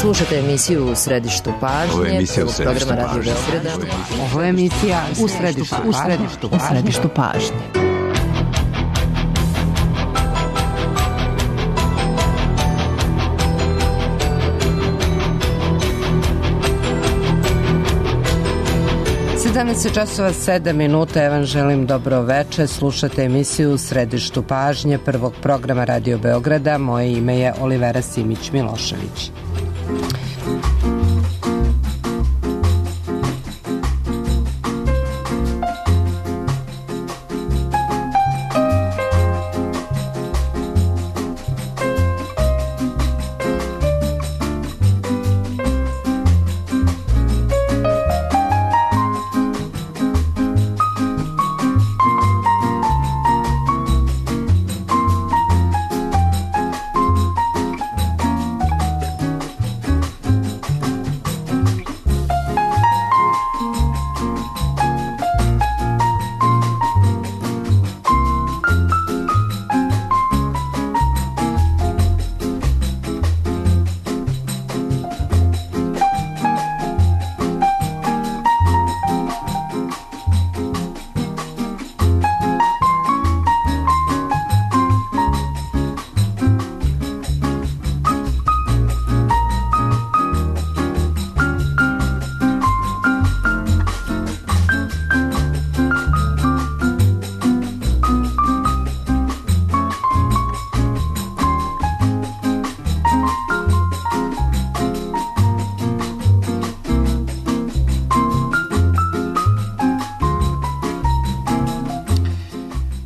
Slušajte emisiju U središtu pažnje. Ovo je emisija U središtu pažnje. Ovo je emisija U središtu pažnje. Časova 7 minuta, ja vam želim dobro veče. Slušate emisiju U središtu pažnje prvog programa Radio Beograda. Moje ime je Olivera Simić-Milošević.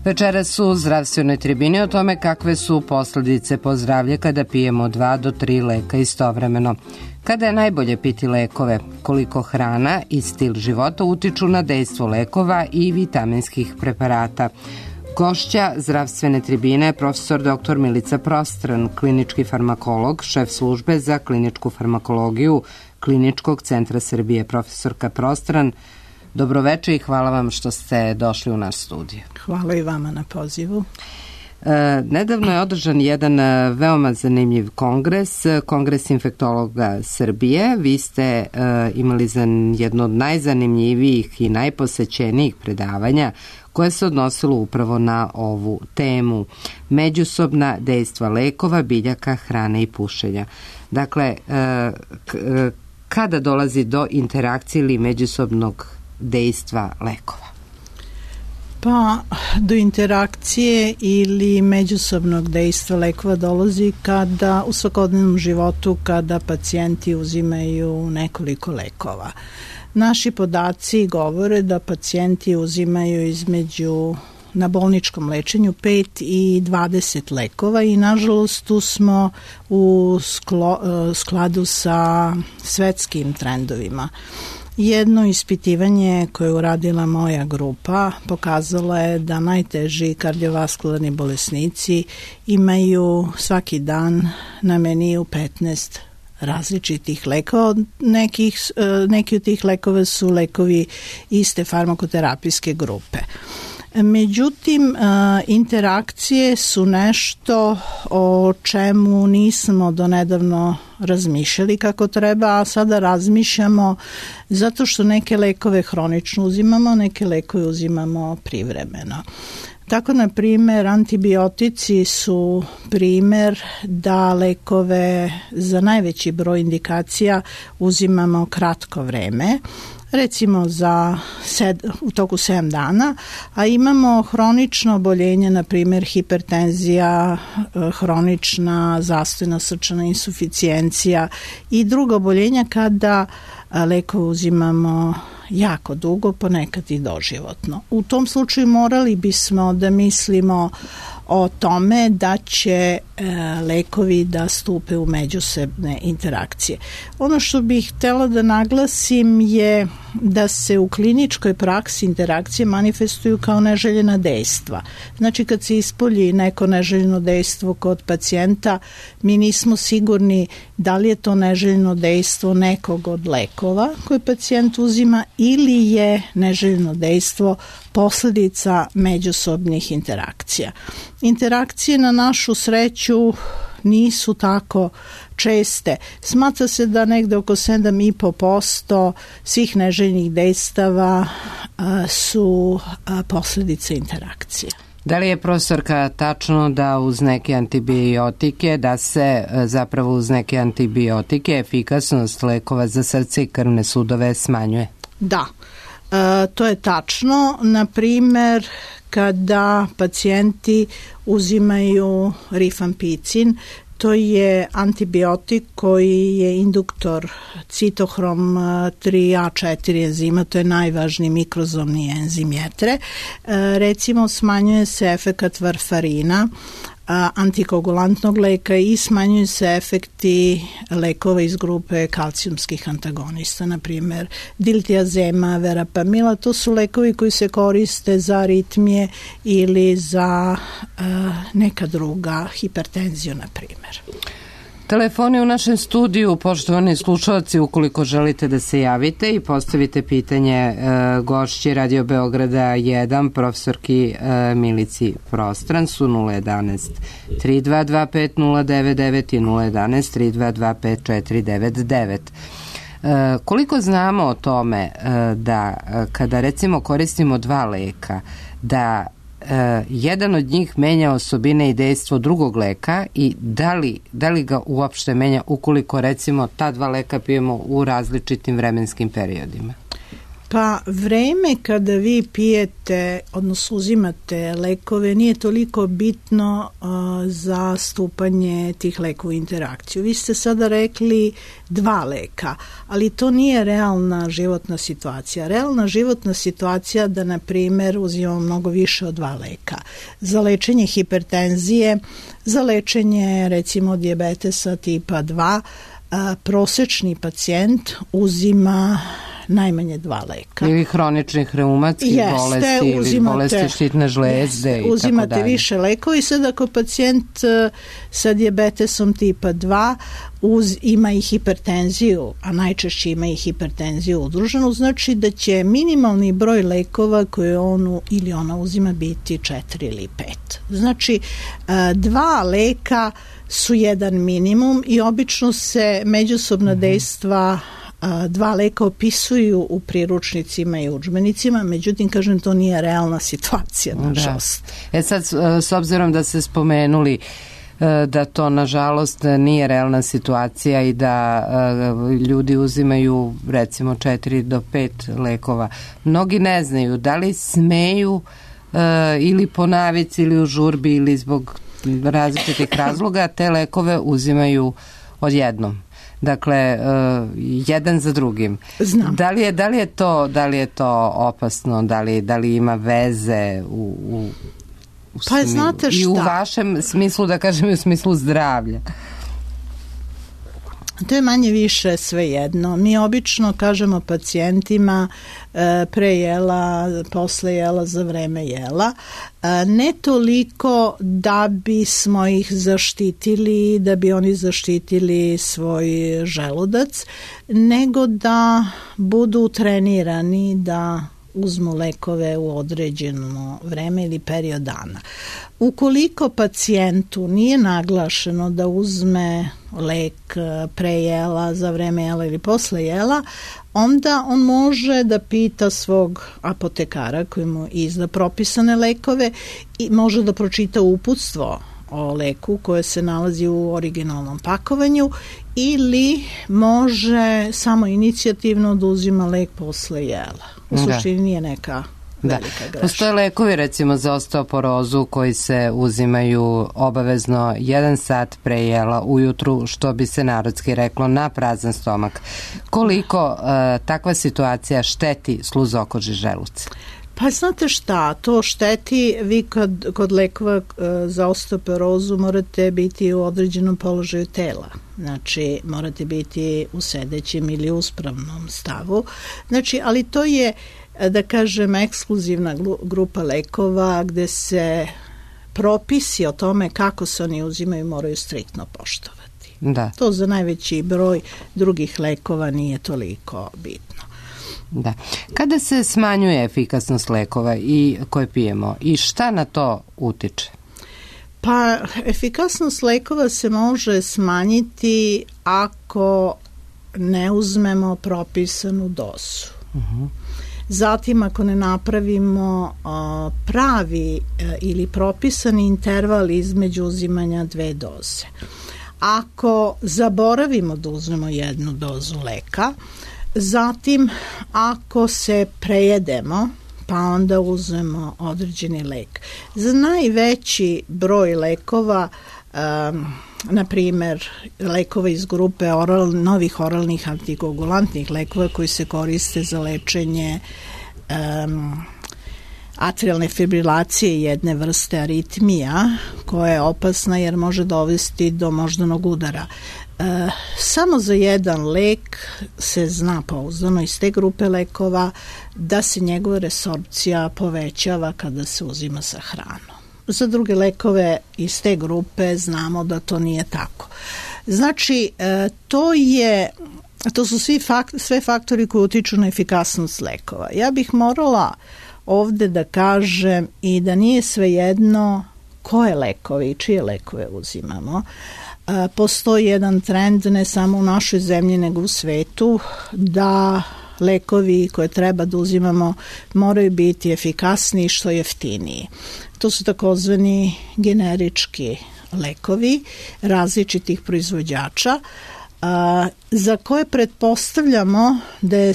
Večeras u zdravstvenoj tribini o tome kakve su posljedice po zdravlje kada pijemo 2 do 3 leka istovremeno. Kada je najbolje piti lekove, koliko hrana i stil života utiču na dejstvo lekova i vitaminskih preparata. Gošća zdravstvene tribine je profesor dr. Milica Prostran, klinički farmakolog, šef službe za kliničku farmakologiju Kliničkog centra Srbije. Profesorka Prostran, dobroveče i hvala vam što ste došli u naš studio. Hvala i vama na pozivu. Nedavno je održan jedan veoma zanimljiv kongres infektologa Srbije. Vi ste imali jedno od najzanimljivijih i najposećenijih predavanja koje se odnosilo upravo na ovu temu. Međusobna dejstva lekova, biljaka, hrane i pušenja. Dakle, kada dolazi do interakcije ili međusobnog dejstva lekova? Pa, do interakcije ili međusobnog dejstva lekova dolazi kada u svakodnevnom životu kada pacijenti uzimaju nekoliko lekova. Naši podaci govore da pacijenti uzimaju između na bolničkom lečenju 5 i 20 lekova i nažalost tu smo u skladu sa svetskim trendovima. Jedno ispitivanje koje je uradila moja grupa pokazala je da najteži kardiovaskularni bolesnici imaju svaki dan na meniju 15 različitih lekova. Neki od tih lekova su lekovi iste farmakoterapijske grupe. Međutim, interakcije su nešto o čemu nismo donedavno razmišljali kako treba, a sada razmišljamo zato što neke lekove hronično uzimamo, neke lekove uzimamo privremeno. Tako, na primjer, antibiotici su primjer da lekove za najveći broj indikacija uzimamo kratko vreme, recimo u toku 7 dana, a imamo hronično oboljenje, na primjer hipertenzija, hronična zastojna srčana insuficijencija i druga oboljenja kada lekove uzimamo jako dugo, ponekad i doživotno. U tom slučaju morali bismo da mislimo o tome da će lekovi da stupe u međusobne interakcije. Ono što bih htjela da naglasim je da se u kliničkoj praksi interakcije manifestuju kao neželjena dejstva. Znači, kad se ispolji neko neželjeno dejstvo kod pacijenta, mi nismo sigurni da li je to neželjeno dejstvo nekog od lekova koje pacijent uzima ili je neželjeno dejstvo posljedica međusobnih interakcija. Interakcije, na našu sreću, nisu tako česte. Smatra se da negde oko 7,5% svih neželjenih dejstava su posljedice interakcije. Da li je, profesorka, tačno da uz neke antibiotike, da se zapravo uz neke antibiotike efikasnost lekova za srce i krvne sudove smanjuje? Da, to je tačno. Na primer, kada pacijenti uzimaju rifampicin, to je antibiotik koji je induktor citohrom 3A4 enzima, to je najvažniji mikrozomni enzim jetre. Recimo, smanjuje se efekat varfarina, antikoagulantnog leka, i smanjuju se efekti lekova iz grupe kalcijumskih antagonista, na primjer diltiazema, verapamila. To su lekovi koji se koriste za aritmije ili za neka druga, hipertenziju, na primjer. Telefoni u našem studiju, poštovani slušalci, ukoliko želite da se javite i postavite pitanje gošći Radio Beograda 1, profesorki Milici Prostran, su 011 3225 099 i 011 3225 499. Koliko znamo o tome da kada recimo koristimo dva leka, da jedan od njih menja osobine i dejstvo drugog leka, i da li ga uopšte menja ukoliko recimo ta dva leka pijemo u različitim vremenskim periodima? Pa vreme kada vi pijete, odnosno uzimate lekove, nije toliko bitno za stupanje tih lekova u interakciju. Vi ste sada rekli dva leka, ali to nije realna životna situacija. Realna životna situacija da, na primjer, uzimamo mnogo više od dva leka. Za lečenje hipertenzije, za lečenje recimo dijabetesa tipa 2, prosečni pacijent uzima najmanje dva leka. Ili hroničnih reumatskih bolesti, ili bolesti štitne žlezde i tako dalje. Uzimate više lekova, i sad ako pacijent sa dijabetesom tipa 2 ima i hipertenziju, a najčešće ima i hipertenziju udruženu, znači da će minimalni broj lekova koje on ili ona uzima biti 4 ili 5. Znači, dva leka su jedan minimum i obično se međusobna dejstva dva leka opisuju u priručnicima i udžbenicima, međutim, kažem, to nije realna situacija, nažalost. Sad, s obzirom da ste spomenuli da to, nažalost, nije realna situacija i da ljudi uzimaju, recimo, 4 do 5 lekova, mnogi ne znaju da li smeju ili po navici ili u žurbi ili zbog različitih razloga te lekove uzimaju odjednom. Dakle, jedan za drugim. Znam. Da li je to opasno? Da li ima veze pa znate šta? I u vašem smislu, da kažem, i u smislu zdravlja? To je manje više sve jedno. Mi obično kažemo pacijentima pre jela, posle jela, za vreme jela. Ne toliko da bismo ih zaštitili, da bi oni zaštitili svoj želudac, nego da budu trenirani da uzmu lekove u određeno vreme ili period dana. Ukoliko pacijentu nije naglašeno da uzme lek pre jela, za vreme jela ili posle jela, onda on može da pita svog apotekara koji mu izda propisane lekove i može da pročita uputstvo o leku koje se nalazi u originalnom pakovanju, ili može samo inicijativno da uzima lek posle jela. U suštini nije neka velika greška. Postoje lekovi, recimo, za osteoporozu koji se uzimaju obavezno 1 sat pre jela ujutru, što bi se narodski reklo na prazan stomak. Koliko takva situacija šteti sluzokoži želuca? Pa znate šta, to šteti. Vi kod lekova za osteoporozu morate biti u određenom položaju tela. Znači, morate biti u sedećem ili uspravnom stavu. Znači, ali to je, da kažem, ekskluzivna grupa lekova gde se propisi o tome kako se oni uzimaju moraju striktno poštovati. Da. To za najveći broj drugih lekova nije toliko bitno. Da. Kada se smanjuje efikasnost lekova i koje pijemo i šta na to utiče? Pa efikasnost lekova se može smanjiti ako ne uzmemo propisanu dozu. Zatim ako ne napravimo pravi ili propisani interval između uzimanja 2 doze. Ako zaboravimo da uzmemo 1 dozu leka, zatim ako se prejedemo, pa onda uzmemo određeni lek. Za najveći broj lekova, na primer lekova iz grupe novih oralnih antikoagulantnih lekova koji se koriste za lečenje atrialne fibrilacije, jedne vrste aritmija koja je opasna jer može dovesti do moždanog udara. Samo za jedan lek se zna pouzdano iz te grupe lekova da se njegova resorpcija povećava kada se uzima sa hranom. Za druge lekove iz te grupe znamo da to nije tako. Znači, to su sve faktori koji utiču na efikasnost lekova. Ja bih morala ovde da kažem i da nije svejedno koje lekove i čije lekove uzimamo. Postoji jedan trend ne samo u našoj zemlji nego u svetu da lekovi koje treba da uzimamo moraju biti efikasniji što jeftiniji. To su takozvani generički lekovi različitih proizvođača za koje pretpostavljamo da je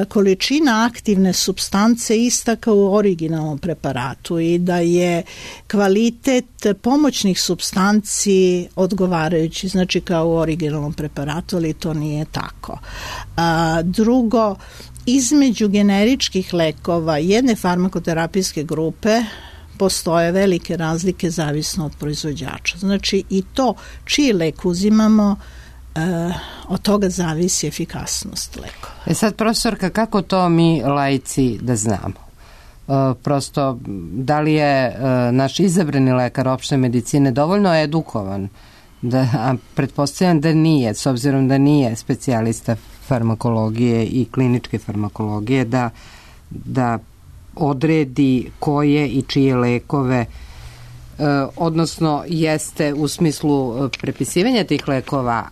količina aktivne supstance ista kao u originalnom preparatu i da je kvalitet pomoćnih supstanci odgovarajući, znači kao u originalnom preparatu, ali to nije tako. Drugo, između generičkih lekova jedne farmakoterapijske grupe postoje velike razlike zavisno od proizvođača. Znači i to čiji lek uzimamo, od toga zavisi efikasnost lekova. Sad, profesorka, kako to mi laici da znamo? Prosto, da li je naš izabrani lekar opšte medicine dovoljno edukovan? A pretpostavljam da nije, s obzirom da nije specijalista farmakologije i kliničke farmakologije, da odredi koje i čije lekove, odnosno jeste u smislu prepisivanja tih lekova,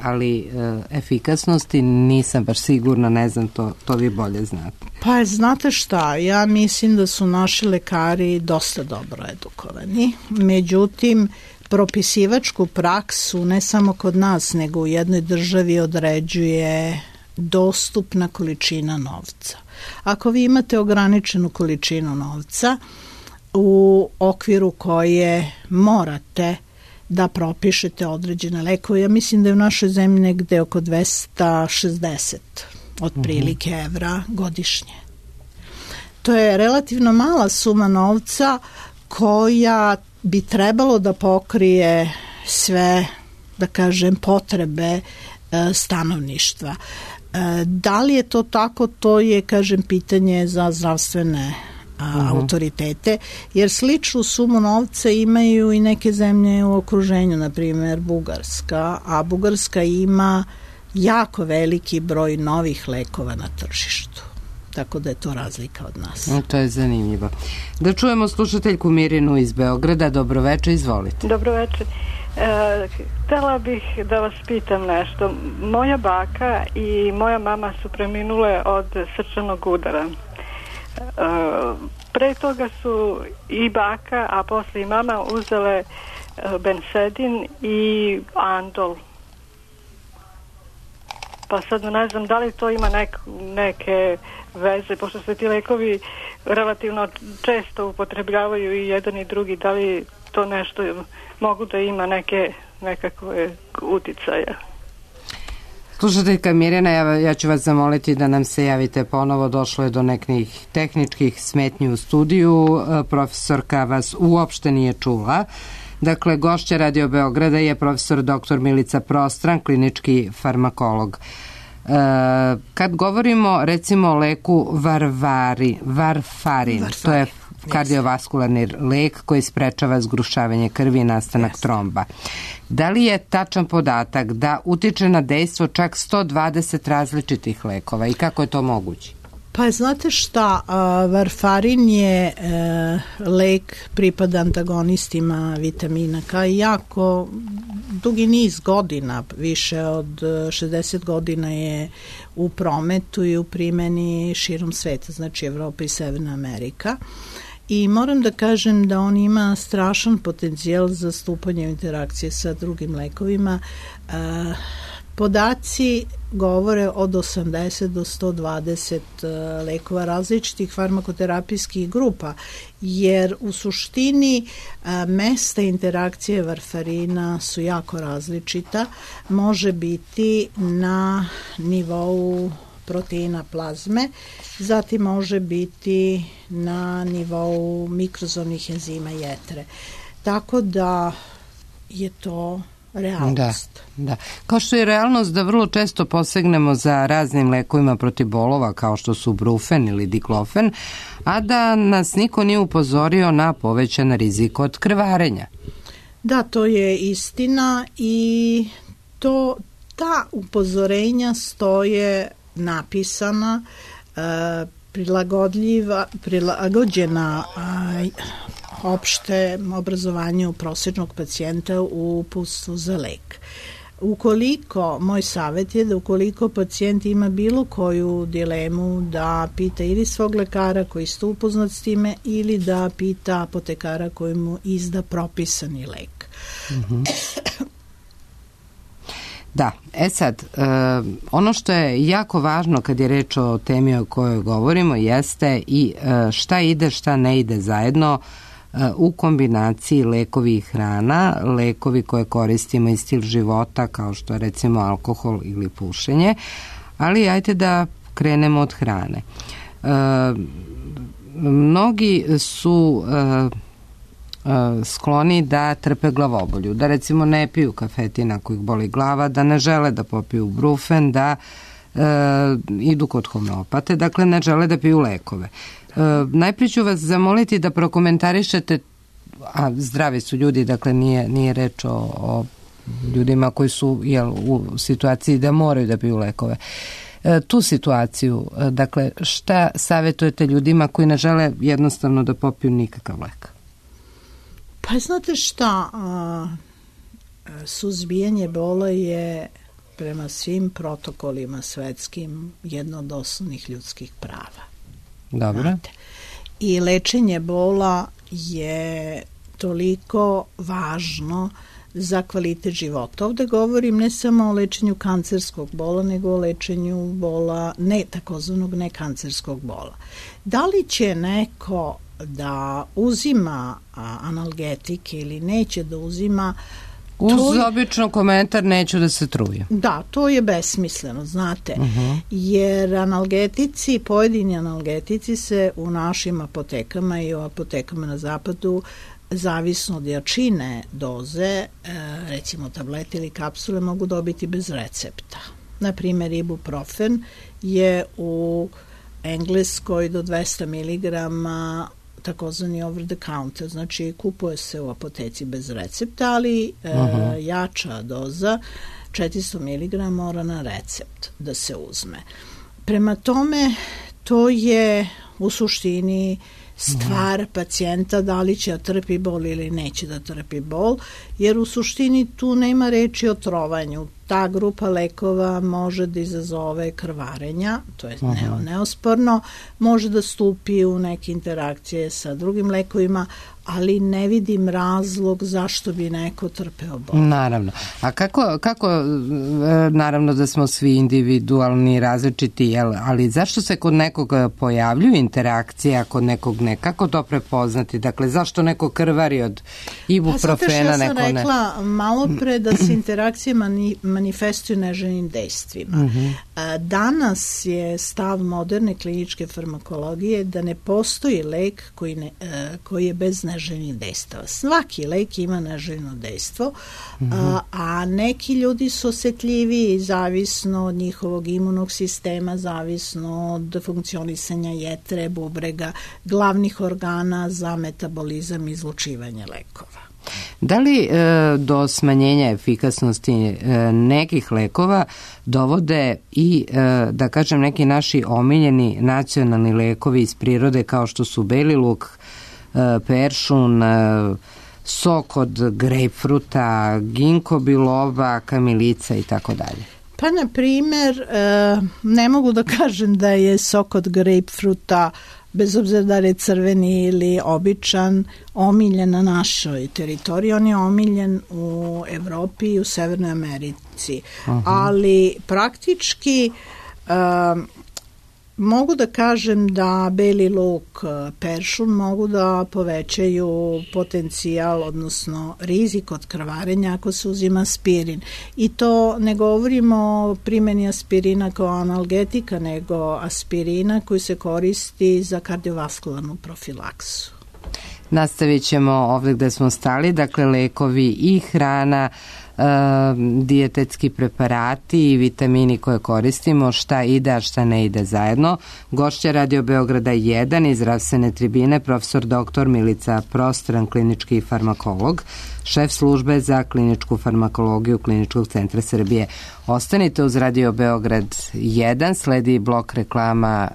ali efikasnosti nisam baš sigurna, ne znam, to vi bolje znate. Pa znate šta, ja mislim da su naši lekari dosta dobro edukovani, međutim propisivačku praksu ne samo kod nas nego u jednoj državi određuje dostupna količina novca. Ako vi imate ograničenu količinu novca u okviru koje morate da propišete određene lekove, ja mislim da je u našoj zemlji negde oko 260 otprilike evra godišnje. To je relativno mala suma novca koja bi trebalo da pokrije sve, da kažem, potrebe stanovništva. Da li je to tako, to je, kažem, pitanje za zdravstvene autoritete, jer sličnu sumu novca imaju i neke zemlje u okruženju, na primjer Bugarska, a Bugarska ima jako veliki broj novih lekova na tržištu. Tako da je to razlika od nas. To je zanimljivo. Da čujemo slušateljku Mirinu iz Beograda. Dobroveče, izvolite. Dobroveče. Htela bih da vas pitam nešto. Moja baka i moja mama su preminule od srčanog udara. Pre toga su i baka, a posle i mama uzele bensedin i andol. Pa sad ne znam da li to ima neke veze, pošto se ti lekovi relativno često upotrebljavaju i jedan i drugi, da li to nešto mogu da ima nekakve uticaje. Slušateljka Mirjana, ja ću vas zamoliti da nam se javite ponovo, došlo je do nekih tehničkih smetnji u studiju, profesorka vas uopšte nije čula. Dakle, gošća Radio Beograda je profesor dr. Milica Prostran, klinički farmakolog. Kad govorimo recimo o leku varfarin, to je kardiovaskularni lek koji sprečava zgrušavanje krvi i nastanak tromba. Da li je tačan podatak da utiče na dejstvo čak 120 različitih lekova i kako je to moguće? Pa znate šta, varfarin je lek pripada antagonistima vitamina K i jako dugi niz godina, više od 60 godina je u prometu i u primjeni širom sveta, znači Evropa i Severna Amerika. I moram da kažem da on ima strašan potencijal za stupanje u interakcije sa drugim lekovima. Podaci govore od 80 do 120 lekova različitih farmakoterapijskih grupa, jer u suštini mesta interakcije varfarina su jako različita. Može biti na nivou proteina plazme, zatim može biti na nivou mikrozomnih enzima jetre. Tako da je to realnost. Da. Kao što je realnost da vrlo često posegnemo za raznim lekovima protiv bolova kao što su brufen ili diklofen, a da nas niko nije upozorio na povećan rizik od krvarenja. Da, to je istina i ta upozorenja stoje napisana, prilagođena opšte obrazovanju prosječnog pacijenta u uputstvu za lek. Moj savjet je da ukoliko pacijent ima bilo koju dilemu, da pita ili svog lekara koji ste upoznat s time ili da pita apotekara koji mu izda propisani lek. Mm-hmm. Da, sad, ono što je jako važno kad je reč o temi o kojoj govorimo jeste i šta ide, šta ne ide zajedno u kombinaciji lekovi i hrana, lekovi koje koristimo i stil života kao što je recimo alkohol ili pušenje, ali ajte da krenemo od hrane. Mnogi su skloni da trpe glavobolju, da recimo ne piju kafetin ako ih boli glava, da ne žele da popiju brufen, da idu kod homeopate, dakle ne žele da piju lekove. Najprije ću vas zamoliti da prokomentarišete, a zdravi su ljudi, dakle nije reč o ljudima koji su u situaciji da moraju da piju lekove. Tu situaciju, dakle šta savjetujete ljudima koji ne žele jednostavno da popiju nikakav lek? Pa znate šta, suzbijanje bola je prema svim protokolima svetskim jedno od osnovnih ljudskih prava. Dobro. Znate? I lečenje bola je toliko važno za kvalitet života. Ovde govorim ne samo o lečenju kancerskog bola, nego o lečenju bola, takozvanog nekancerskog bola. Da li će neko da uzima analgetike ili neće da uzima, uz obično komentar neću da se trujem. Da, to je besmisleno, znate, jer pojedini analgetici se u našim apotekama i u apotekama na zapadu, zavisno od jačine doze, recimo tablete ili kapsule, mogu dobiti bez recepta. Naprimer, ibuprofen je u Engleskoj do 200 mg takozvani over the counter, znači kupuje se u apoteci bez recepta, ali jača doza 400 mg mora na recept da se uzme. Prema tome, to je u suštini stvar pacijenta da li će da trpi bol ili neće da trpi bol, jer u suštini tu nema reči o trovanju. Ta grupa lekova može da izazove krvarenja, to je neosporno, može da stupi u neke interakcije sa drugim lekovima, ali ne vidim razlog zašto bi neko trpeo bol. Naravno. A kako naravno da smo svi individualni, različiti, ali zašto se kod nekog pojavljuju interakcije, a kod nekog ne? Kako to prepoznati? Dakle, zašto neko krvari od ibuprofena, neko ne? Ja sam rekla malo pre da se interakcije manifestuju neželjenim dejstvima. Danas je stav moderne kliničke farmakologije da ne postoji lek koji je bez neželjenih dejstava. Svaki lek ima neželjeno dejstvo, a neki ljudi su osetljiviji zavisno od njihovog imunog sistema, zavisno od funkcionisanja jetre, bubrega, glavnih organa za metabolizam i izlučivanje lekova. Da li do smanjenja efikasnosti nekih lekova dovode i, da kažem, neki naši omiljeni nacionalni lekovi iz prirode kao što su beli luk, peršun, sok od grejpfruta, ginko biloba, kamilica i tako dalje? Pa, na primer, ne mogu da kažem da je sok od grejpfruta, bez obzira da je crveni ili običan, omiljen na našoj teritoriji. On je omiljen u Evropi i u Severnoj Americi. Ali praktički mogu da kažem da beli luk, peršun mogu da povećaju potencijal, odnosno rizik od krvarenja ako se uzima aspirin. I to ne govorimo o primjeni aspirina kao analgetika, nego aspirina koji se koristi za kardiovaskularnu profilaksu. Nastavit ćemo ovdje gde smo stali, dakle lekovi i hrana, dijetetski preparati i vitamini koje koristimo, šta ide, a šta ne ide zajedno. Gošća Radio Beograda 1 iz zdravstvene tribine, profesor dr. Milica Prostran, klinički farmakolog, šef službe za kliničku farmakologiju Kliničkog centra Srbije. Ostanite uz Radio Beograd 1, sledi blok reklama,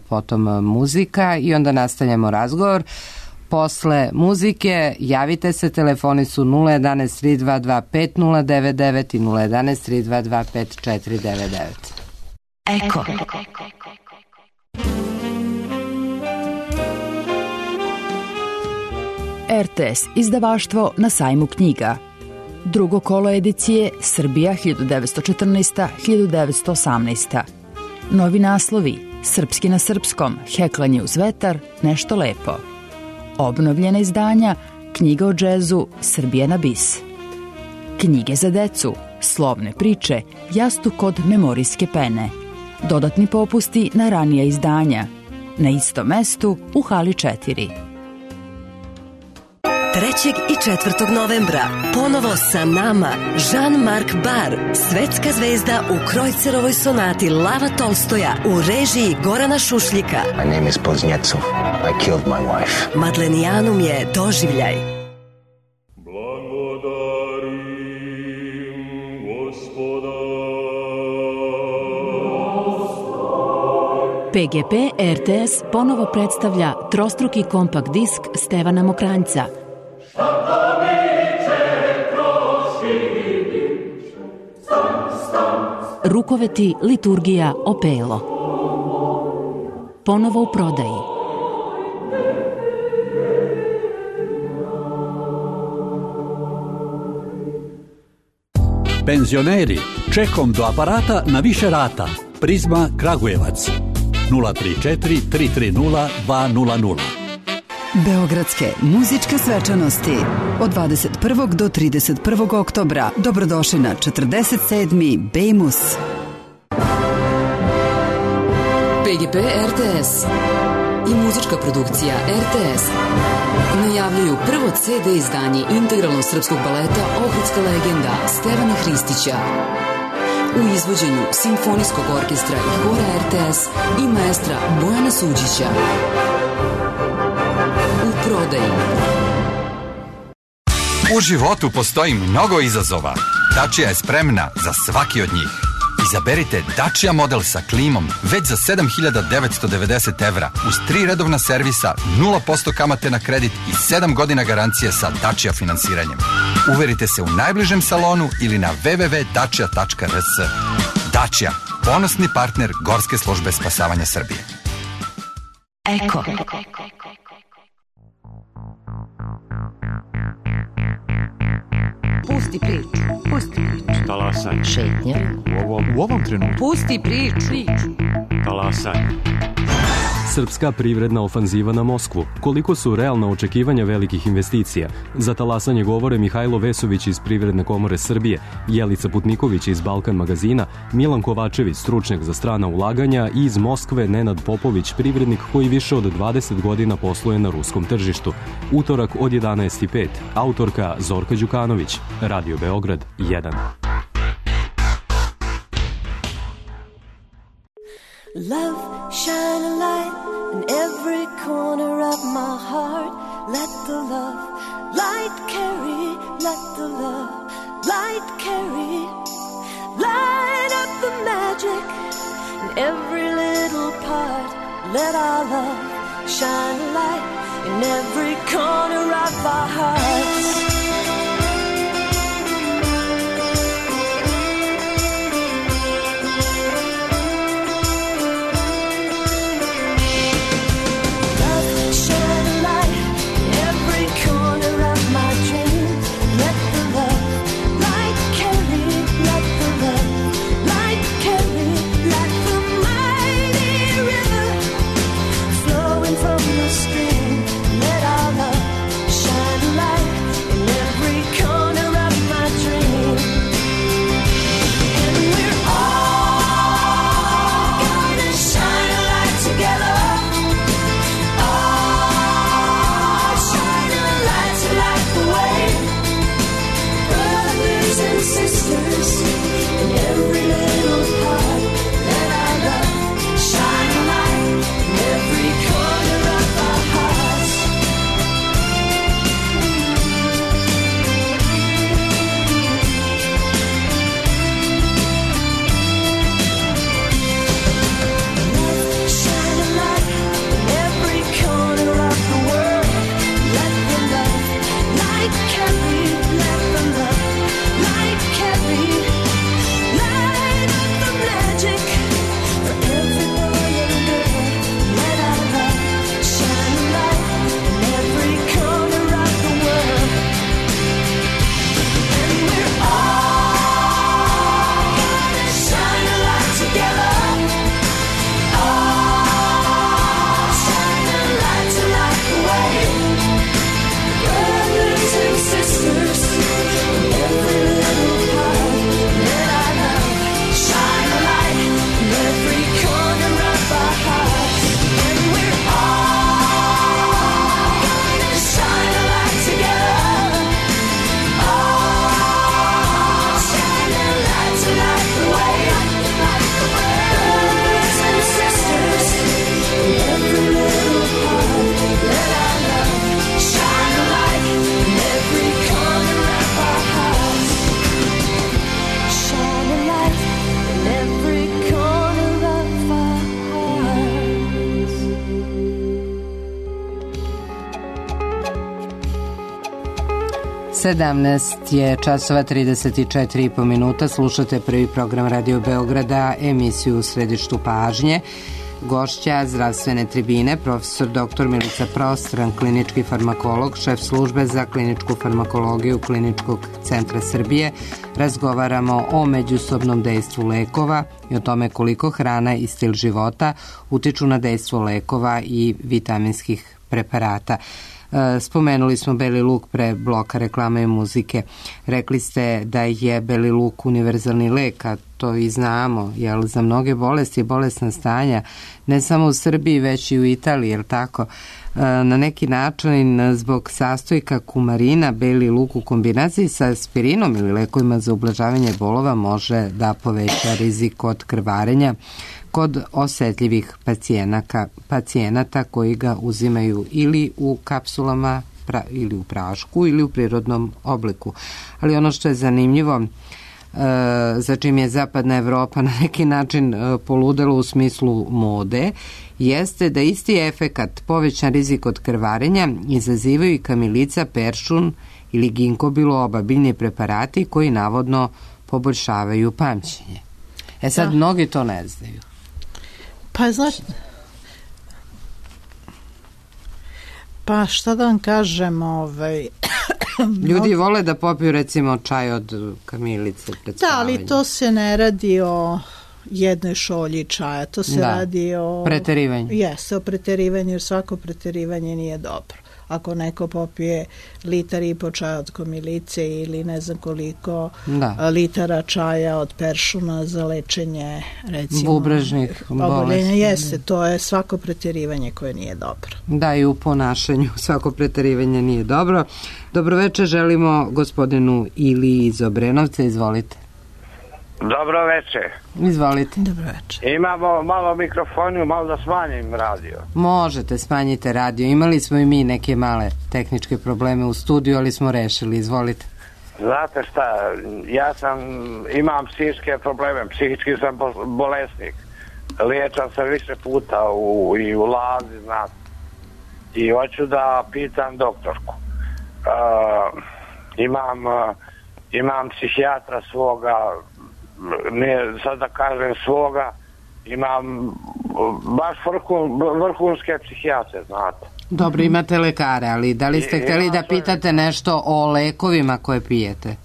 potom muzika i onda nastavljamo razgovor. Posle muzike javite se, telefoni su 011 322 5099 i 011 322 5499. Eko. RTS, izdavaštvo Na sajmu knjiga. Drugo kolo edicije Srbija 1914-1918. Novi naslovi: Srpski na srpskom, Heklanje uz vetar, Nešto lepo. Obnovljena izdanja: Knjiga o džezu, Srbija na bis. Knjige za decu, Slovne priče, Jastuk od memorijske pene. Dodatni popusti na ranija izdanja. Na istom mestu u hali 4. 3. i 4. novembra ponovo sa nama Jean-Marc Barr, svetska zvezda u Krojcerovoj sonati Lava Tolstoja u režiji Gorana Šušljika. My name is Poznjecov. I killed my wife. Madlenijanum je doživljaj. PGP RTS ponovo predstavlja trostruki kompakt disk Stevana Mokranjca. Rukoveti, liturgija, opelo. Ponovo u prodaji. Penzioneri, čekom do aparata na više rata. Prizma Kragujevac 034 330 200. Beogradske muzičke svečanosti od 21. do 31. oktobra. Dobrodošli na 47. Bejmus. PGP RTS i muzička produkcija RTS najavljuju prvo CD izdanje integralnog srpskog baleta Ohridska legenda Stevana Hristića u izvođenju Simfonijskog orkestra i hora RTS i maestra Bojana Suđića. U prodaji. U životu postoji mnogo izazova. Dacia je spremna za svaki od njih. Izaberite Dacia model sa klimom već za 7.990 evra uz 3 redovna servisa, 0% kamate na kredit i 7 godina garancije sa Dacia finansiranjem. Uverite se u najbližem salonu ili na www.dacia.rs. Dacia, ponosni partner Gorske službe spasavanja Srbije. Eko. Pusti priču. Pusti priču. Talasanje. Šetnja. U ovom trenutku. Pusti priču. Talasanje. Srpska privredna ofanziva na Moskvu. Koliko su realna očekivanja velikih investicija? Za talasanje govore Mihajlo Vesović iz Privredne komore Srbije, Jelica Putniković iz Balkan magazina, Milan Kovačević, stručnjak za strana ulaganja, i iz Moskve Nenad Popović, privrednik koji više od 20 godina posluje na ruskom tržištu. Utorak od 11:05. Autorka Zorka Đukanović. Radio Beograd 1. Love, shine a light in every corner of my heart. Let the love light carry, let the love light carry, light up the magic in every little part. Let our love shine a light in every corner of our hearts. Je časova 34,5 minuta. Slušate prvi program Radio Beograda, emisiju U središtu pažnje. Gošća zdravstvene tribine, profesor dr. Milica Prostran, klinički farmakolog, šef službe za kliničku farmakologiju Kliničkog centra Srbije. Razgovaramo o međusobnom dejstvu lekova i o tome koliko hrana i stil života utiču na dejstvo lekova i vitaminskih preparata. Spomenuli smo beli luk pre bloka reklame i muzike. Rekli ste da je beli luk univerzalni lek, a to i znamo, jel, za mnoge bolesti i bolesna stanja, ne samo u Srbiji, već i u Italiji, jel tako? Na neki način, zbog sastojka kumarina, beli luk u kombinaciji sa aspirinom ili lekovima za ublažavanje bolova može da poveća rizik od krvarenja kod osetljivih pacijenata koji ga uzimaju ili u kapsulama ili u prašku ili u prirodnom obliku. Ali ono što je zanimljivo, za čim je zapadna Evropa na neki način poludela u smislu mode, jeste da isti efekat, povećan rizik od krvarenja, izazivaju i kamilica, peršun ili ginkgo biloba, biljni preparati koji navodno poboljšavaju pamćenje. Sad, mnogi to ne znaju. Pa, znači, pa šta da vam kažem, ljudi vole da popiju recimo čaj od kamilice pred spavanje. Da, ali to se ne radi o jednoj šolji čaja, to se radi o preterivanju. Jeste, o preterivanju, jer svako preterivanje nije dobro. Ako neko popije 1,5 litara čaja od kamilice ili ne znam koliko litara čaja od peršuna za lečenje, recimo, bubrežnih bolesti. Jeste, to je svako preterivanje koje nije dobro. Da, i u ponašanju svako preterivanje nije dobro. Dobroveče želimo gospodinu Ili iz Obrenovca, izvolite. Dobro večer. Izvolite. Dobro večer. Imamo malo mikrofoniju, malo da smanjim radio. Možete, smanjite radio. Imali smo i mi neke male tehničke probleme u studiju, ali smo rešili. Izvolite. Znate šta, imam psihičke probleme, psihički sam bolesnik. Liječam se više puta i u Lazi, znate. I hoću da pitam doktorku. Imam psihijatra svoga, ne sad da kažem svoga, imam baš vrhunske psihijatre, znate. Dobro, imate lekare, ali da li ste hteli da pitate nešto o lekovima koje pijete?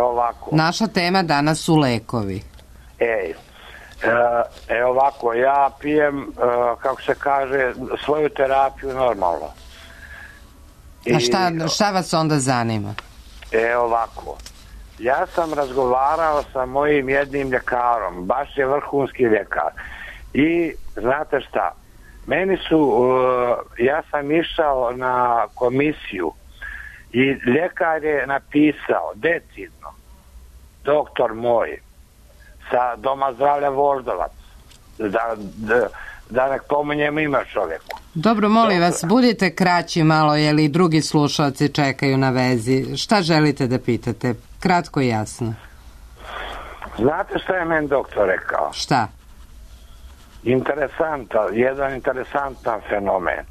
Ovako. Naša tema danas su lekovi. Ovako, ja pijem, kako se kaže, svoju terapiju normalno. A šta vas onda zanima? Ovako, ja sam razgovarao sa mojim jednim ljekarom, baš je vrhunski ljekar. I znate šta, ja sam išao na komisiju i ljekar je napisao decidno, doktor moj, sa Doma zdravlja Voždovac, da nek pominjem ime čovjeku. Dobro, molim vas, budite kraći malo, jer i drugi slušalci čekaju na vezi. Šta želite da pitate? Kratko i jasno. Znate šta je meni doktor rekao? Šta? Jedan interesantan fenomen.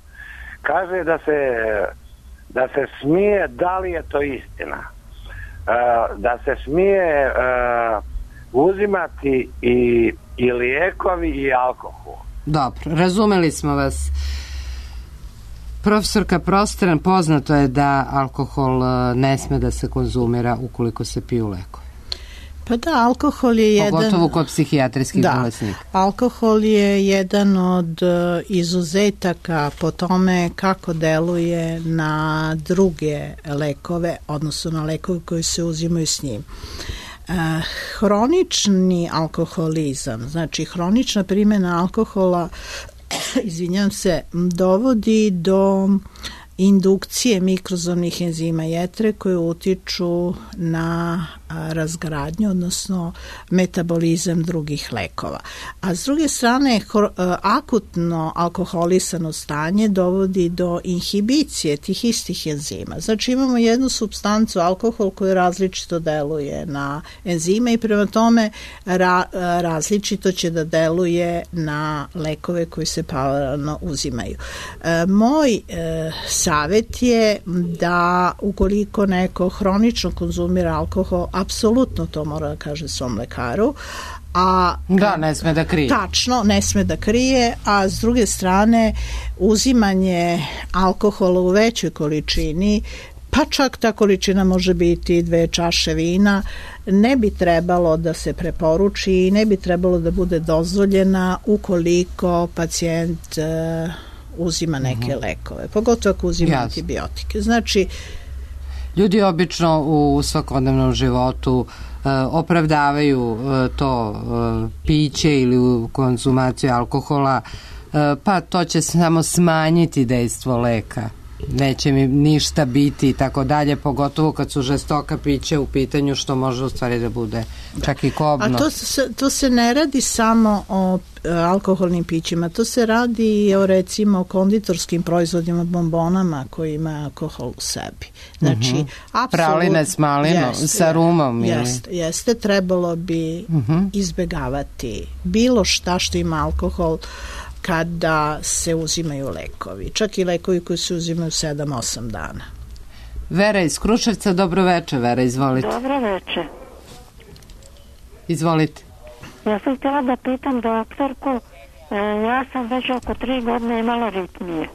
Kaže da se smije, da li je to istina, da se smije uzimati i lijekovi i alkohol. Dobro, razumeli smo vas. Profesorka Prostran, poznato je da alkohol ne sme da se konzumira ukoliko se piju lekovi. Pa da, alkohol je jedan... Pogotovo kod psihijatrijskih bolesnika. Alkohol je jedan od izuzetaka po tome kako deluje na druge lekove, odnosno na lekove koji se uzimaju s njim. Hronični alkoholizam, znači hronična primjena alkohola, dovodi do indukcije mikrozomnih enzima jetre koje utiču na razgradnju, odnosno metabolizam drugih lekova. A s druge strane, akutno alkoholisano stanje dovodi do inhibicije tih istih enzima. Znači imamo jednu supstancu, alkohol, koji različito deluje na enzime i prema tome različito će da deluje na lekove koji se paralelno uzimaju. Moj savjet je da ukoliko neko hronično konzumira alkohol, apsolutno to mora da kaže svom lekaru. Ne sme da krije. Tačno, ne sme da krije, a s druge strane uzimanje alkohola u većoj količini, pa čak ta količina može biti 2 čaše vina, ne bi trebalo da se preporuči i ne bi trebalo da bude dozvoljena ukoliko pacijent uzima neke lekove, pogotovo ako uzima antibiotike. Znači, ljudi obično u svakodnevnom životu opravdavaju to piće ili konzumaciju alkohola, pa to će samo smanjiti dejstvo leka, neće mi ništa biti i tako dalje, pogotovo kad su žestoka pića u pitanju, što može u stvari da bude čak i kobno. A to se ne radi samo o alkoholnim pićima, to se radi i o recimo konditorskim proizvodima, bombonama koji ima alkohol u sebi. Znači, praline s malinom, sa rumom. Jeste, trebalo bi izbegavati bilo šta što ima alkohol kada se uzimaju lekovi. Čak i lekovi koji se uzimaju 7-8 dana. Vera iz Kruševca, dobro večer. Vera, izvolite. Dobro večer. Izvolite. Ja sam htjela da pitam doktorku, ja sam već oko 3 godine imala ritmije.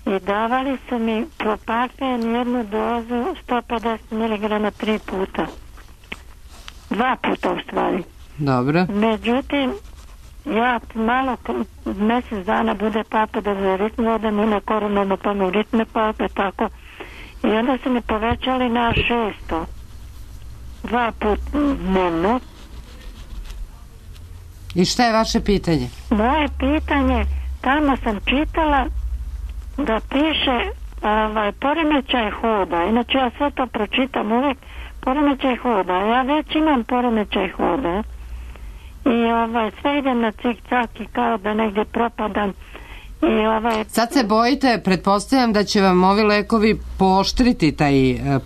I davali su mi propafen jednu dozu 150 mg 3 puta. 2 puta u stvari. Dobro. Međutim, ja malo mjesec dana bude papa da za ritme odem u neko normalno pa mi ritme pape tako i onda su mi povećali na 600 2 puta dnevno. I šta je vaše pitanje? Moje pitanje, tamo sam čitala da piše poremećaj hoda, inače ja sve to pročitam uvek, poremećaj hoda, ja već imam poremećaj hoda i sve idem na cik-cak i kao da negdje propadam. Sad se bojite, pretpostavljam da će vam ovi lekovi pooštriti taj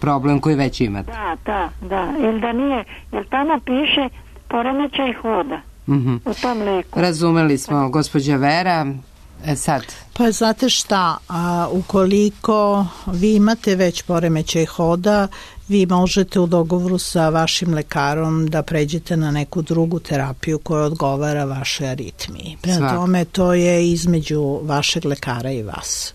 problem koji već imate. Da, ili da nije, jer tamo piše poremećaj hoda u tom leku. Razumeli smo, gospođa Vera. Sad. Pa znate šta, ukoliko vi imate već poremećaj hoda, vi možete u dogovoru sa vašim lekarom da pređete na neku drugu terapiju koja odgovara vašoj aritmiji. Prema tome, to je između vašeg lekara i vas.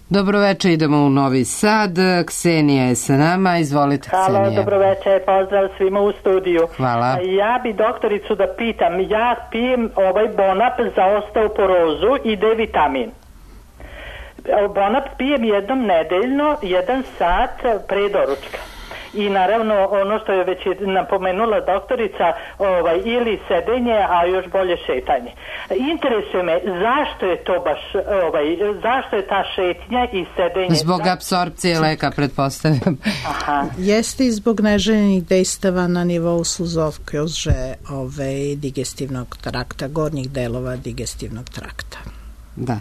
Dobroveče, idemo u Novi Sad. Ksenija je sa nama, izvolite Ksenija. Halo, dobroveče, pozdrav svima u studiju. Hvala. Ja bi doktoricu da pitam, ja pijem Bonap za osteoporozu i D-vitamin. Bonap pijem jednom nedeljno, 1 sat pre doručka. I naravno ono što je već napomenula doktorica, ili sedenje, a još bolje šetanje. Interesuje me zašto je to baš, zašto je ta šetnja i sedenje? Zbog apsorpcije leka, pretpostavljam. Aha. Jeste i zbog neželjenih dejstava na nivou sluzovkože digestivnog trakta, gornjih delova digestivnog trakta. Da.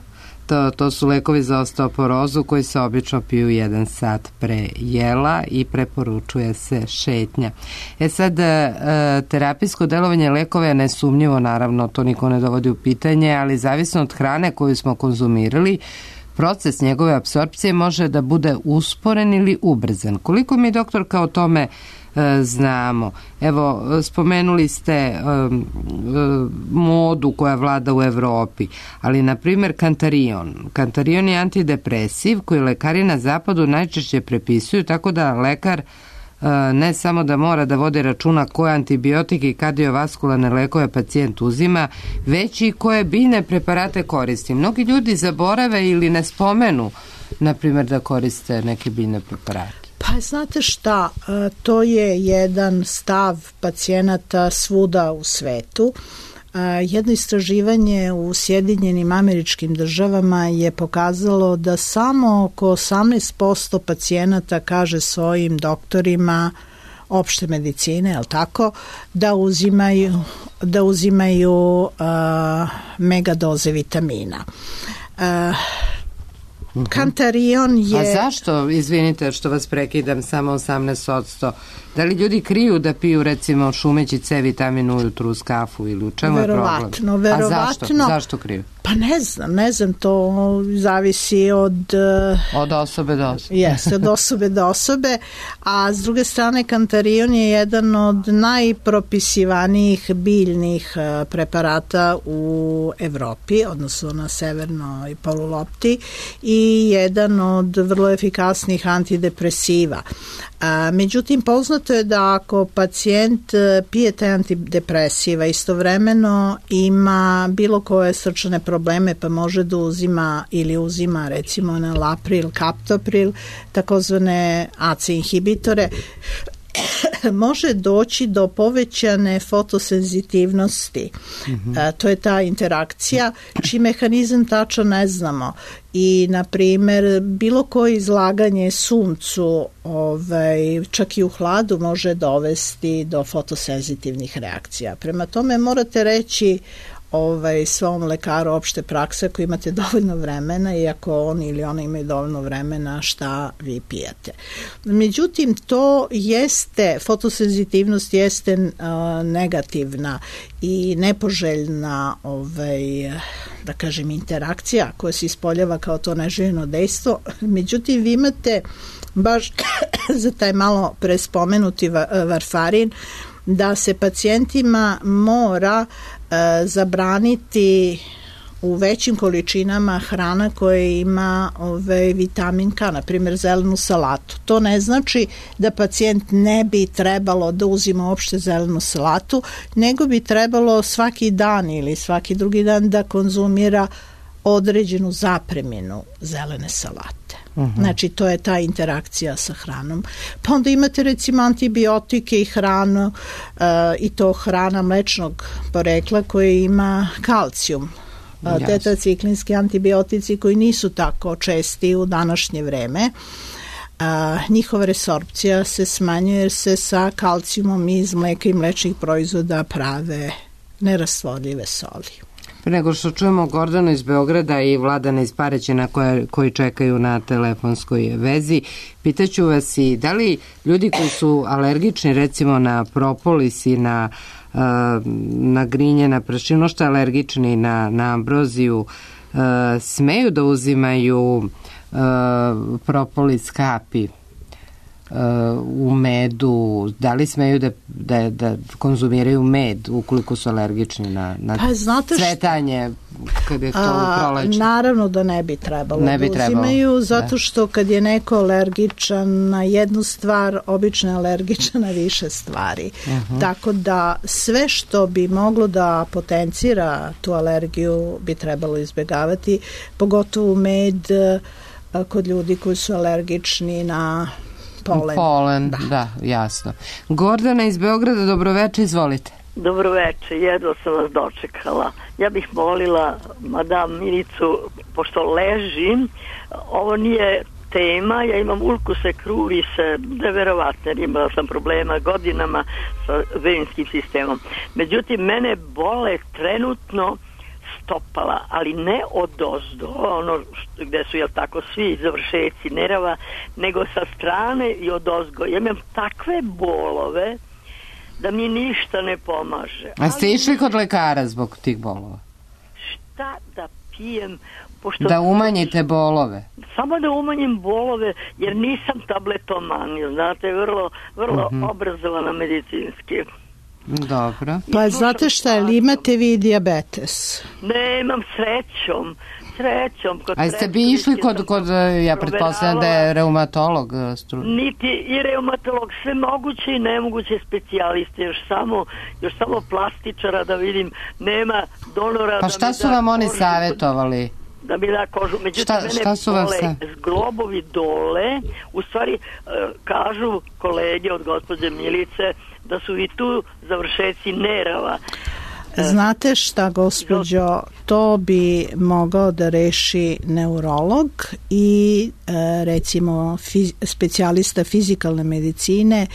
To su lekovi za osteoporozu koji se obično piju 1 sat pre jela i preporučuje se šetnja. Sad, terapijsko delovanje lekova je nesumnjivo, naravno, to niko ne dovodi u pitanje, ali zavisno od hrane koju smo konzumirali, proces njegove apsorpcije može da bude usporen ili ubrzan. Koliko mi, doktorka, o tome znamo? Evo, spomenuli ste modu koja vlada u Evropi, ali na primjer Cantarion. Cantarion je antidepresiv koji lekari na zapadu najčešće prepisuju, tako da lekar ne samo da mora da vodi računa koje antibiotike i kardiovaskularne lekove pacijent uzima, već i koje biljne preparate koristi. Mnogi ljudi zaborave ili ne spomenu, na primjer, da koriste neke biljne preparate. Pa znate šta, to je jedan stav pacijenata svuda u svetu. Jedno istraživanje u Sjedinjenim Američkim Državama je pokazalo da samo oko 18% pacijenata kaže svojim doktorima opšte medicine, je li tako, da uzimaju megadoze vitamina. Cantarion je... A zašto, izvinite što vas prekidam, samo 18%? Da li ljudi kriju da piju, recimo, šumeći C vitamin ujutru uz kafu ili u čemu je problem? Verovatno. A zašto kriju? Pa ne znam, to zavisi od osobe do osobe. Jeste, od osobe do osobe, a s druge strane Cantarion je jedan od najpropisivanijih biljnih preparata u Evropi, odnosno na severnoj polulopti, i jedan od vrlo efikasnih antidepresiva. Međutim, poznato je da ako pacijent pije te antidepresiva, istovremeno ima bilo koje srčane probleme, pa može da uzima ili uzima recimo enalapril, kaptopril, takozvane AC inhibitore, može doći do povećane fotosenzitivnosti. To je ta interakcija, čiji mehanizam tačno ne znamo. I, na primjer, bilo koje izlaganje suncu, čak i u hladu, može dovesti do fotosenzitivnih reakcija. Prema tome morate reći svom lekaru opšte prakse, ako imate dovoljno vremena i ako on ili ona imaju dovoljno vremena, šta vi pijete. Međutim, to jeste, fotosenzitivnost jeste negativna i nepoželjna da kažem interakcija koja se ispoljava kao to neželjeno dejstvo. Međutim, vi imate baš za taj malo prespomenuti varfarin da se pacijentima mora zabraniti u većim količinama hrana koja ima vitamin K, na primjer zelenu salatu. To ne znači da pacijent ne bi trebalo da uzima uopšte zelenu salatu, nego bi trebalo svaki dan ili svaki drugi dan da konzumira određenu zapreminu zelene salate. Znači, to je ta interakcija sa hranom. Pa onda imate recimo antibiotike i hranu, i to hrana mlečnog porekla koja ima kalcijum. tetraciklinski antibiotici koji nisu tako česti u današnje vreme. Njihova resorpcija se smanjuje jer se sa kalcijumom iz mleka i mlečnih proizvoda prave nerastvorljive soli. Pre nego što čujemo Gordanu iz Beograda i Vladana iz Paraćina koji čekaju na telefonskoj vezi, pitaću vas i da li ljudi koji su alergični recimo na propolis i na grinje, na prašinu, što je alergični na ambroziju, smeju da uzimaju propolis kapi u medu, da li smeju da konzumiraju med ukoliko su alergični na cvetanje kad je to u proleću? Naravno da ne bi trebalo da uzimaju, zato što kad je neko alergičan na jednu stvar, obično je alergičan na više stvari. Tako da sve što bi moglo da potencira tu alergiju bi trebalo izbjegavati, pogotovo med kod ljudi koji su alergični na polen. Da, jasno. Gordana iz Beograda, dobroveče, izvolite. Dobroveče, jedva sam vas dočekala. Ja bih molila madam Milicu, pošto ležim, ovo nije tema, ja imam ulkuse krurise, neverovatno, jer imala sam problema godinama sa venskim sistemom. Međutim, mene bole trenutno stopala, ali ne odozdo, ono gde su, jel tako, svi završeci nerava, nego sa strane i odozgo. Ja imam takve bolove da mi ništa ne pomaže. A ste išli kod lekara zbog tih bolova? Šta da pijem? Da umanjite bolove? Samo da umanjim bolove, jer nisam tabletoman, znate, vrlo obrazovana medicinski. Dobro. Pa znate šta, ili imate vi dijabetes? Ne, imam srećom. A ste bi išli kod ja pretpostavljam da je reumatolog? Niti i reumatolog, sve moguće i nemoguće specijaliste, još samo plastičara da vidim, nema donora. Pa šta su vam oni savjetovali? Da mi da kožu, međutim mene bole zglobovi dole, u stvari kažu kolege od gospođe Milice da su i tu završeci nerava. Znate šta, gospođo, to bi mogao da reši neurolog i recimo specijalista fizikalne medicine,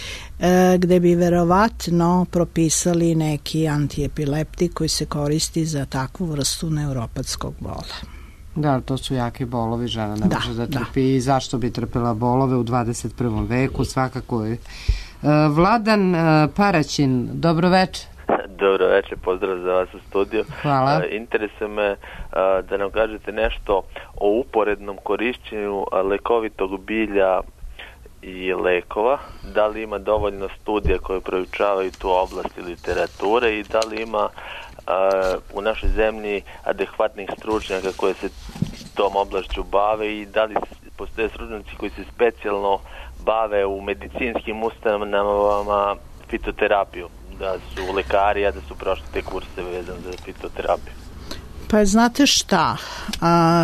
gde bi verovatno propisali neki antiepileptik koji se koristi za takvu vrstu neuropatskog bola. Da, to su jaki bolovi, žena ne može da trpi. I zašto bi trpela bolove u 21. veku, svakako je. Vladan Paraćin, dobroveče. Dobroveče, pozdrav za vas u studiju. Hvala. Interesuje me da nam kažete nešto o uporednom korišćenju lekovitog bilja i lekova. Da li ima dovoljno studija koje proučavaju tu oblast i literature i da li ima u našoj zemlji adekvatnih stručnjaka koje se tom oblašću bave i da li postoje stručnjaci koji se specijalno bave u medicinskim ustanovama fitoterapiju, da su lekari, a da su prošli te kurse vezane za fitoterapiju. Pa znate šta,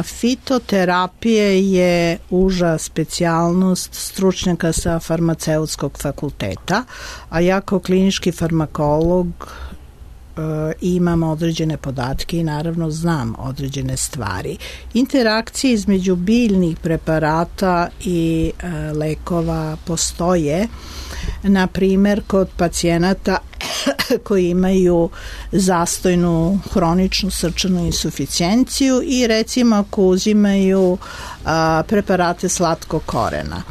fitoterapije je uža specijalnost stručnjaka sa farmaceutskog fakulteta, a ja kao klinički farmakolog imam određene podatke i naravno znam određene stvari. Interakcije između biljnih preparata i lekova postoje, na primer kod pacijenata koji imaju zastojnu hroničnu srčanu insuficijenciju i recimo ako uzimaju preparate slatkog korena.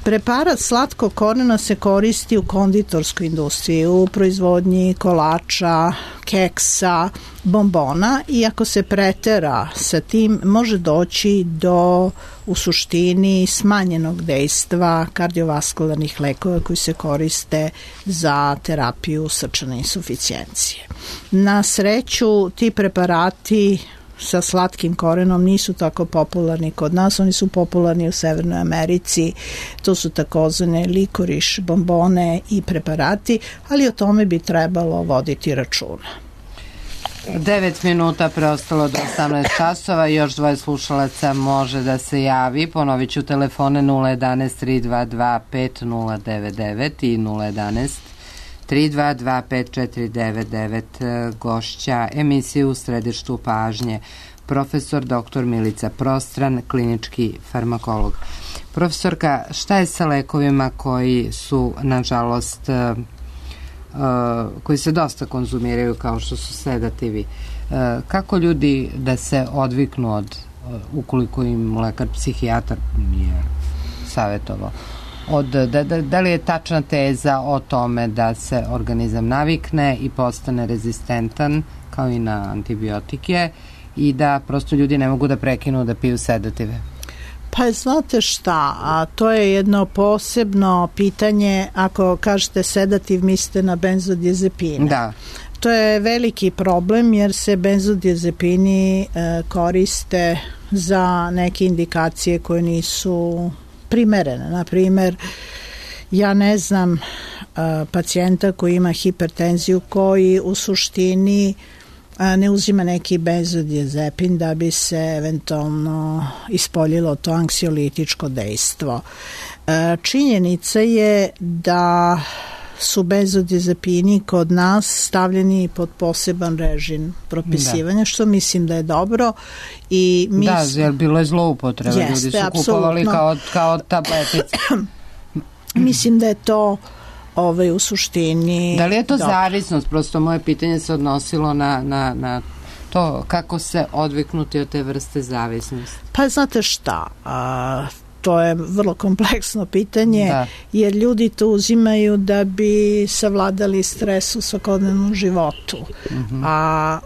Preparat slatkog korena se koristi u konditorskoj industriji, u proizvodnji kolača, keksa, bombona i ako se pretera sa tim može doći do u suštini smanjenog dejstva kardiovaskularnih lekova koji se koriste za terapiju srčane insuficijencije. Na sreću ti preparati sa slatkim korenom nisu tako popularni kod nas, oni su popularni u Severnoj Americi, to su takozvane likoriš, bombone i preparati, ali o tome bi trebalo voditi računa. 9 minuta preostalo do 18 časova, još dvoje slušalaca može da se javi, ponovit ću telefone 011 322 5099 i 011 322 5499. Gošća emisije u središtu pažnje profesor dr. Milica Prostran, klinički farmakolog. Profesorka, šta je sa lekovima koji su, nažalost, koji se dosta konzumiraju, kao što su sedativi? Kako ljudi da se odviknu od, ukoliko im lekar psihijatar je savjetovao, da li je tačna teza o tome da se organizam navikne i postane rezistentan kao i na antibiotike i da prosto ljudi ne mogu da prekinu da piju sedative? Pa znate šta, a to je jedno posebno pitanje. Ako kažete sedativ, mislite na benzodiazepine. Da. To je veliki problem jer se benzodiazepini koriste za neke indikacije koje nisu primerene. Naprimer, ja ne znam pacijenta koji ima hipertenziju koji u suštini ne uzima neki benzodiazepin da bi se eventualno ispoljilo to anksiolitičko dejstvo. Činjenica je da su benzodiazepini kod nas stavljeni pod poseban režim propisivanja, što mislim da je dobro. I jer bilo je zloupotreba, ljudi su kupovali kao tabletice. Mislim da je to u suštini... Da li je to zavisnost? Prosto moje pitanje se odnosilo na to kako se odviknuti od te vrste zavisnosti. Pa znate šta, to je vrlo kompleksno pitanje, jer ljudi to uzimaju da bi savladali stres u svakodnevnom životu. A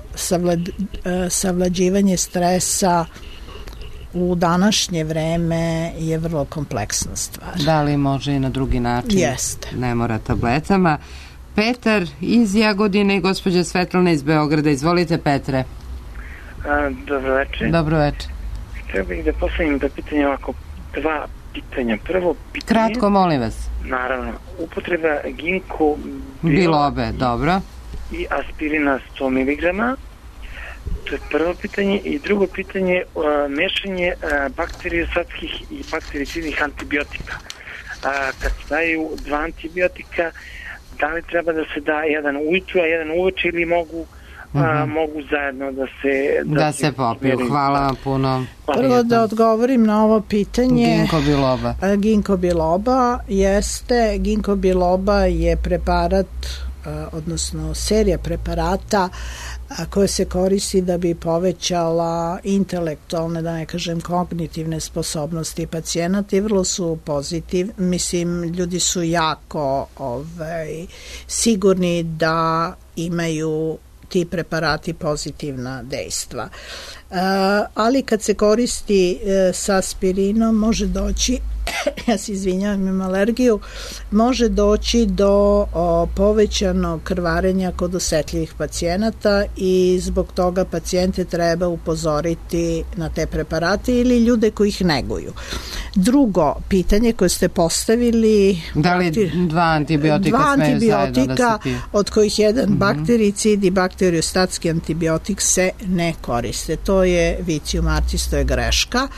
savlađivanje stresa u današnje vreme je vrlo kompleksna stvar. Da li može i na drugi način? Jeste. Ne mora tabletama. Petar iz Jagodine i gospođa Svetlana iz Beograda. Izvolite, Petre. Dobro večer. Dobro večer. Htio bih da postavim da pitanje ovako, dva pitanja. Prvo pitanje... Kratko, molim vas. Naravno. Upotreba ginko bilobe, dobro. I aspirina 100 mg. To je prvo pitanje. I drugo pitanje, mešanje bakteriosatskih i baktericidnih antibiotika. Kad se daju dva antibiotika, da li treba da se da jedan ujutru, a jedan uveče ili mogu zajedno da se popiju? Hvala vam puno. Prvo da odgovorim na ovo pitanje. Ginko biloba. Ginko biloba jeste. Ginko biloba je preparat, odnosno serija preparata koje se koristi da bi povećala intelektualne, da ne kažem kognitivne sposobnosti pacijenata i vrlo su pozitivni. Mislim, ljudi su jako sigurni da imaju ti preparati pozitivna dejstva. Ali kad se koristi sa aspirinom može doći, ja se izvinjavam, imam alergiju, može doći do povećanog krvarenja kod osetljivih pacijenata i zbog toga pacijente treba upozoriti na te preparate ili ljude koji ih neguju. Drugo pitanje koje ste postavili, da li dva antibiotika smeju zajedno da se pije? Od kojih jedan baktericid i bakteriostatski antibiotik se ne koriste. To je vicium artis, to je greška.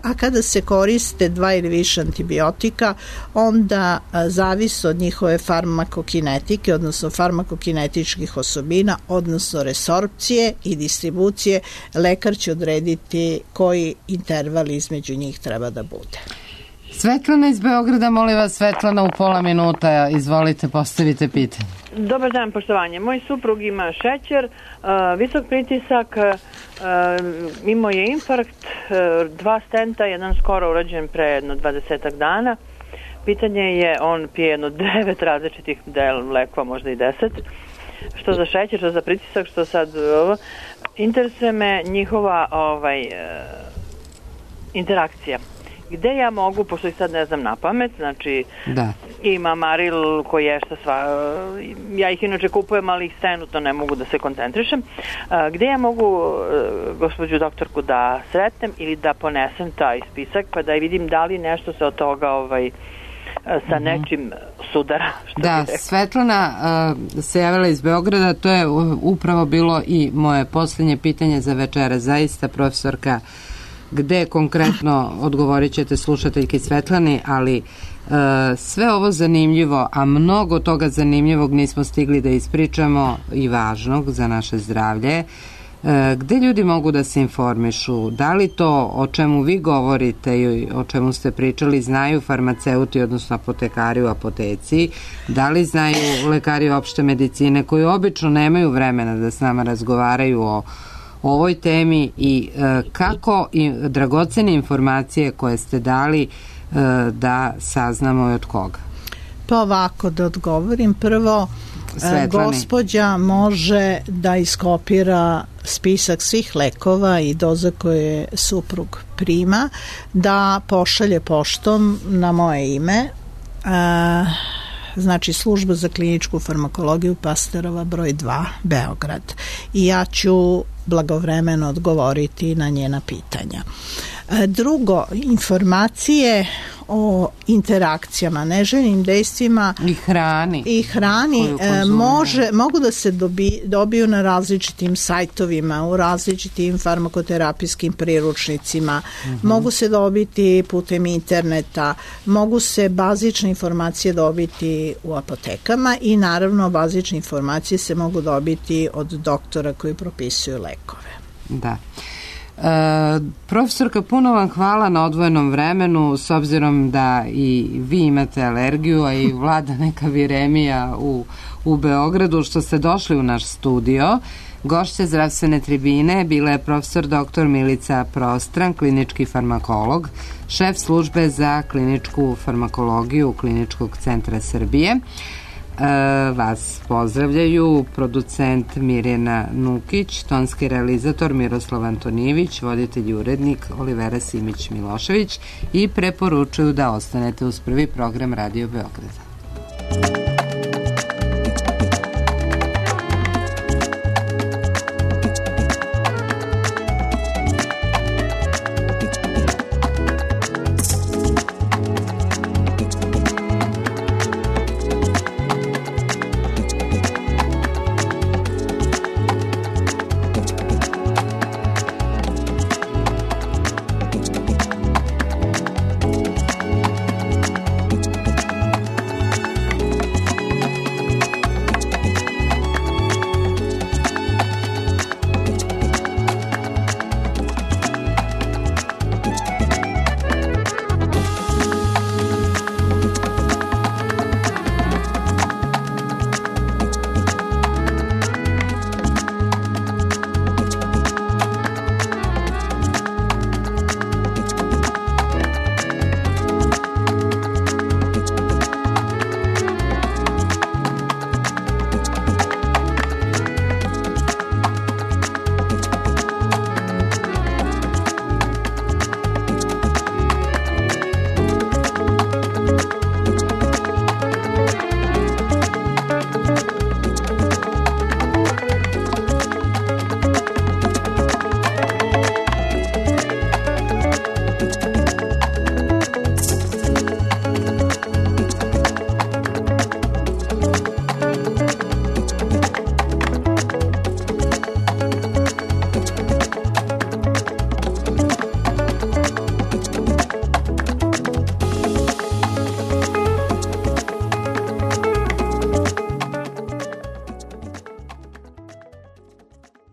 A kada se koriste dva ili više antibiotika, onda zavisi od njihove farmakokinetike, odnosno farmakokinetičkih osobina, odnosno resorpcije i distribucije. Lekar će odrediti koji interval između njih treba da bude. Svetlana iz Beograda, molim vas, Svetlana, u pola minuta, izvolite, postavite pitanje. Dobar dan, poštovanje. Moj suprug ima šećer, visok pritisak, imao je infarkt, 2 stenta, jedan skoro urađen pre jedno 20 dana. Pitanje je, on pije jedno 9 različitih lekova, možda i 10. Što za šećer, što za pritisak, što sad... Interesuje me njihova interakcija. Gde ja mogu, pošto ih sad ne znam na pamet, znači ima Maril koji je ja ih inače kupujem, ali ih trenutno ne mogu da se koncentrišem. Gde ja mogu gospođu doktorku da sretnem ili da ponesem taj spisak pa da vidim da li nešto se od toga sa nečim sudara. Svetlana se javila iz Beograda, to je upravo bilo i moje posljednje pitanje za večera. Zaista, profesorka, gde konkretno odgovorit ćete slušateljki Svetlani, ali sve ovo zanimljivo, a mnogo toga zanimljivog nismo stigli da ispričamo i važnog za naše zdravlje, Gde ljudi mogu da se informišu? Da li to o čemu vi govorite i o čemu ste pričali znaju farmaceuti, odnosno apotekari u apoteci? Da li znaju lekari opšte medicine koji obično nemaju vremena da s nama razgovaraju o ovoj temi i kako dragocene informacije koje ste dali da saznamo i od koga? Pa ovako da odgovorim. Prvo, gospođa može da iskopira spisak svih lekova i doza koje suprug prima, da pošalje poštom na moje ime, znači služba za kliničku farmakologiju Pasterova broj 2 Beograd, i ja ću blagovremeno odgovoriti na njena pitanja. Drugo, informacije o interakcijama, neželjenim dejstvima i hrani mogu da se dobiju na različitim sajtovima, u različitim farmakoterapijskim priručnicima, mogu se dobiti putem interneta, mogu se bazične informacije dobiti u apotekama i naravno bazične informacije se mogu dobiti od doktora koji propisuju lekove. Da. Profesorka, puno vam hvala na odvojenom vremenu, s obzirom da i vi imate alergiju, a i vlada neka viremija u Beogradu, što ste došli u naš studio. Gošća zdravstvene tribine bila je profesor dr. Milica Prostran, klinički farmakolog, šef službe za kliničku farmakologiju Kliničkog centra Srbije. Vas pozdravljaju producent Mirjana Nukić, tonski realizator Miroslav Antonijević, voditelj i urednik Olivera Simić-Milošević i preporučuju da ostanete uz prvi program Radio Beograda.